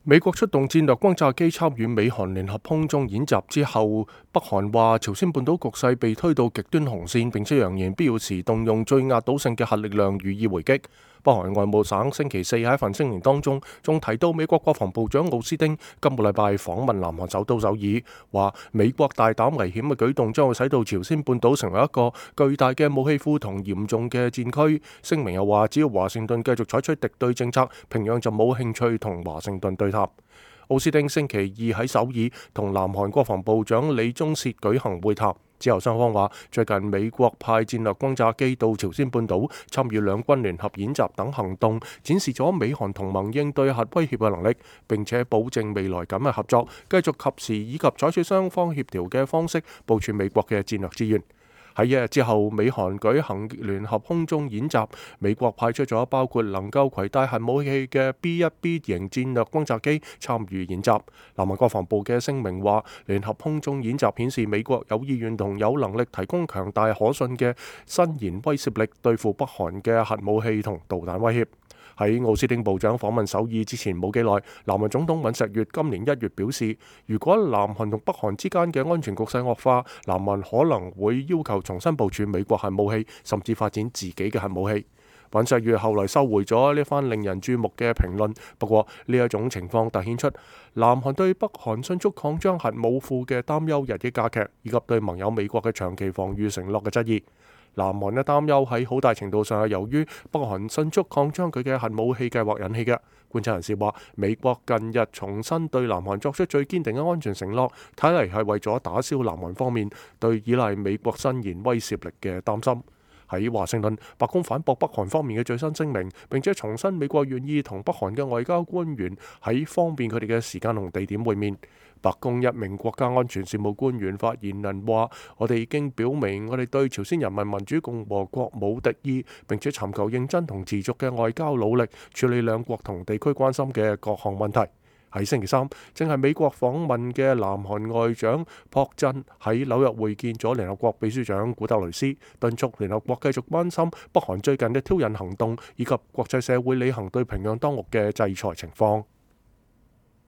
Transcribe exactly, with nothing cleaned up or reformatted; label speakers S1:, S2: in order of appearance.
S1: 美國出動戰略轟炸機參與美韓聯合空中演習之後，北韓話朝鮮半島局勢被推到極端紅線，並且揚言必要時動用最壓倒性嘅核力量予以回擊。北韓外務省星期四喺一份聲明當中，仲提到美國國防部長奧斯汀今個禮拜訪問南韓首都首爾，話美國大膽危險嘅舉動將會使到朝鮮半島成為一個巨大嘅武器庫同嚴重嘅戰區。聲明又話，只要華盛頓繼續採取敵對政策，平壤就冇興趣同華盛頓對談。奧斯汀星期二喺首爾同南韓國防部長李鐘燮舉行會談之後，雙方話最近美國派戰略轟炸機到朝鮮半島參與兩軍聯合演習等行動，展示咗美韓同盟應對核威脅嘅能力，並且保證未來緊密合作，繼續及時以及採取雙方協調嘅方式部署美國嘅戰略資源。喺一日之後，美韓舉行聯合空中演習，美國派出咗包括能夠攜帶核武器嘅 B 一 B 型戰略轟炸機參與演習。南韓國防部嘅聲明話，聯合空中演習顯示美國有意願同有能力提供強大可信嘅伸延威懾力，對付北韓嘅核武器同導彈威脅。喺奧斯汀部長訪問首爾之前冇幾耐，南韓總統尹錫悅今年一月表示，如果南韓同北韓之間嘅安全局勢惡化，南韓可能會要求重新部署美國核武器，甚至發展自己嘅核武器。尹錫悅後來收回咗呢番令人注目嘅評論，不過呢一種情況凸顯出南韓對北韓迅速擴張核武庫嘅擔憂日益加劇，以及對盟友美國嘅長期防禦承諾嘅質疑。南韓嘅擔憂喺好大程度上係由於北韓迅速擴張佢嘅核武器計劃引起嘅。觀察人士話，美國近日重新對南韓作出最堅定嘅安全承諾，睇嚟係為咗打消南韓方面對依賴美國伸延威懾力嘅擔心。喺華盛頓，白宮反駁北韓方面嘅最新聲明，並且重申美國願意同北韓嘅外交官員喺方便佢哋嘅時間同地點會面。白宮一名國家安全事務官員發言人話，我哋已經表明我哋對朝鮮人民民主共和國冇敵意，並且尋求認真同持續嘅外交努力，處理兩國同地區關心嘅各項問題。喺星期三，正係美國訪問嘅南韓外長朴振喺紐約會見咗聯合國秘書長古特雷斯，敦促聯合國繼續關心北韓最近嘅挑釁行動，以及國際社會履行對平壤當局嘅制裁情況。